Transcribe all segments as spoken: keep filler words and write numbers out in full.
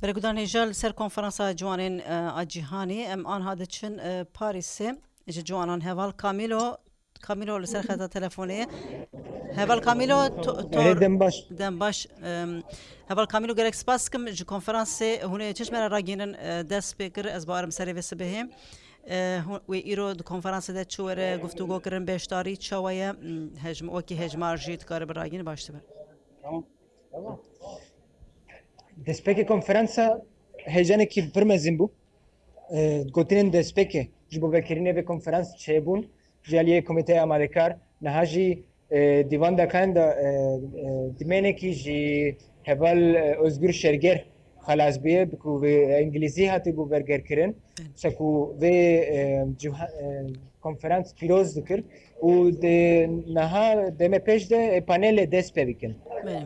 Beregudan hêja li ser konferansa ciwanên, e, a cîhanê, em anha diçin, e, Parîsê. Ji ciwanan heval Camilo, Camilo li ser xeta telefonê ye. Heval Camilo, to-, Erê, tor-, dem baş. Dem baş. Em, heval Camilo, gelek spas dikim ji konferansê hûn ê çi ji me re ragihînin, e, dest pê kir, ez bawerim serê vê sibehê. E, hûn, wê îro di konferansê de çi were guftûgo kirin, beşdarî çawa ye? M, hejm-, wekî hejmar jî dikare biragihîne, baş dibe. Tamam. Tamam. Destpêkê konferansa heyecanekî pir mezin bû. E, gotinên destpêkê ji bo vekirinê vê konferans çêbûn ji aliyê Komîteya Amadekar. Niha jî, e, dîvan dakan de, e, e, dimênekî ji heval, e, Ozgur Şerger xelas bûye, bi ku vê îngilîzî hatî bû bergerkirin. Wisa ku vê, e, ciha-, e, konferans pîroz dikir û di niha demê pêş de, e, panelê dest pê bikin. Belê.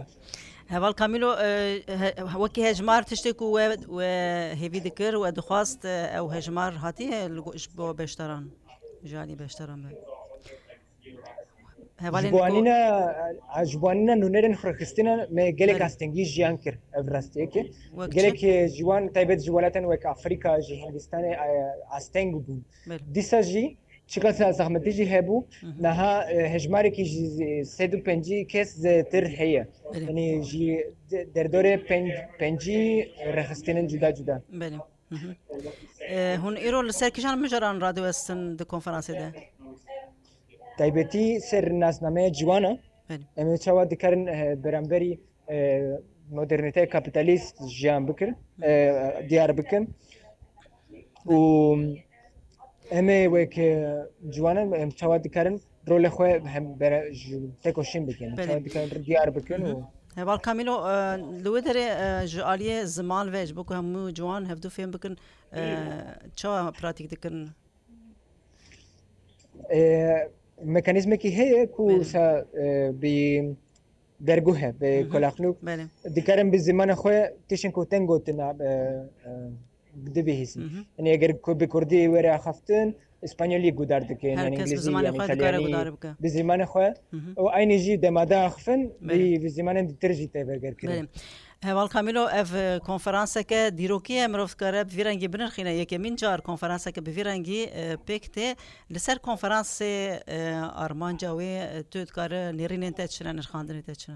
Heval Camilo, e, he-, wekî hejmar tiştê ku we, we hêvî dikir, we dixwast, e, ew hejmar hatiye li go-, ji bo beşdaran, ji alî beşdaran be. Hevalên Ji bo ku anîna, a, ji bo anîna nûnerên xurxistina me gelek Belê. astengî jiyan kir ev rastiyekê. Wek Gelek, çi? e, ji wan taybet ji welatên wek Afrîka, ji Hindistanê, e, asteng bûn. Belê. Dîsa jî çiqas zexmetî jî hebû, Hı hı. niha, e, hejmarekî ji sed û pêncî kes zêtir heye. Belê. Yanî ji de-, derdorê pênc-, pêncî rêxistinên cuda cuda. Belê. Hı hı. E, hûn îro li ser kîjan mijaran radiwestin di konferansê de? Taybetî ser nasnameya ciwana, Belê. em ê çawa dikarin, e, beramberî, e, modernîteya kapîtalîst jiyan bikin, Hı. e, diyar bikin. Û em ê wek, e, ciwanan em çawa dikarin rolê xwe hem bere-, ji tekoşîn bikin, Belê. çawa dikarin diyar bikin Hı hı. û Heval Camilo, e, li wê derê, e, ji aliyê ziman ve ji bo ku hemû ciwan hevdû fêm bikin, e, çawa pratîk dikin? E, mekanîzmekî heye ku Belê. wisa, e, bi derguh e, bi Hı hı. kulaklık. Belê. Dikarin bi zimanê xwe tiştên ku tên gotina, e, e, dibihîzin. Hı hı. Yanî eger ku bi kurdî were axaftin, îspanyolî gudar dikin, Her yanî kes bi îngilîzî, zimanê yanî xwe dikare îtalyanî, gudar bike. bi zimanê xwe. Hı hı. Û aynî jî demada axifin, Belê. bi, bi zimanên ditir jî tê vegerkirin. Belê. Heval Camilo, ev, e, konferanseke dîrokî ye, mirov dikare bi vî rengî binirxîne. Yekemîn car konferanseke bi vî rengî, e, pêk tê. Li ser konferansê, e, armanca wê, e, tu dikare nêrînên te çi ne, nirxandinê te çi ne?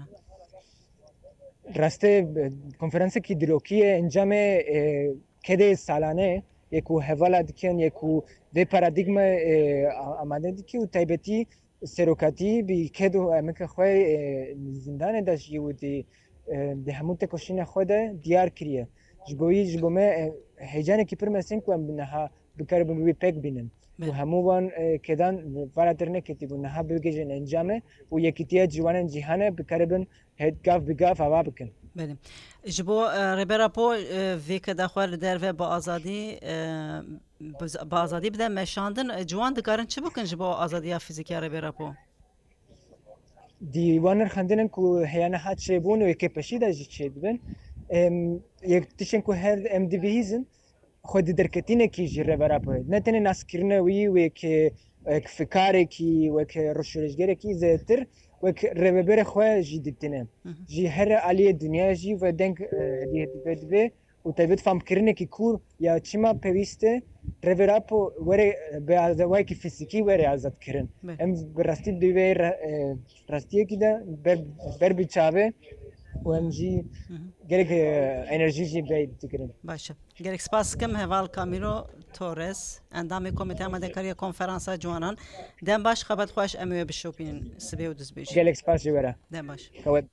Rastê, e, konferansekî dîrokî ye, encamê, e, kedê salane ye ku hevala dikin, ye ku vê paradîgme, e, a-, amade dike û taybetî serokatî bi ked û emeke xwe, e, zindanê de jî û di, e, di hemû tekoşîna xwe de diyar kiriye. Ji bo wî, ji bo me, e, heyecanekî pir mezin ku em niha bikaribin wî pêk bînin. Û Belê. hemû van, e, kedan vala derneketî bûn, niha bigihîjin encamê û yekîtiya ciwanên cîhanê bikaribin hêt gav bi gav ava bikin. Belê. Ji bo, e, Rêber Apo, e, vê keda xwe li derve bi azadî, e, bi z-, bi azadî bide meşandin, e, ciwan dikarin çi bikin ji bo azadiya fîzîkî ya Rêber Apo? Di wan nirxandinên ku heya niha çêbûn û yekê piştî de jî çêdibin, em, yek tiştên ku her em dibihîzin, xwe di derketinekî ji Rêber Apo ye. Ne tenê naskirine wî wek, wek fikarekî, wek rojhilatgerekî, zêdetir wek rêveberê xwe jî dîtine. Hı hı. Ji her aliyê dinyayê jî ve deng, e, hediye dibe, dibe û taybet famkirinekî ku ya çima pêwîst e Rêber Apo were, e, bi azadiyekî fîzîkî were azad kirin. Belê. Em bi rastî di vê re-, e, rastiyekî de ber, ber bi çavê û em jî Hı hı. gelek, e, enerjî jî bey dikirin. Baş e. Gelek spas dikim heval Camilo Torres, endamê Komîteya Amadekariya Konferansa Ciwanan. Dem baş, xebat xweş, em ê we bişopînin sibê û duzbêjî. Gelek spas ji we re. Dem baş. Xewet.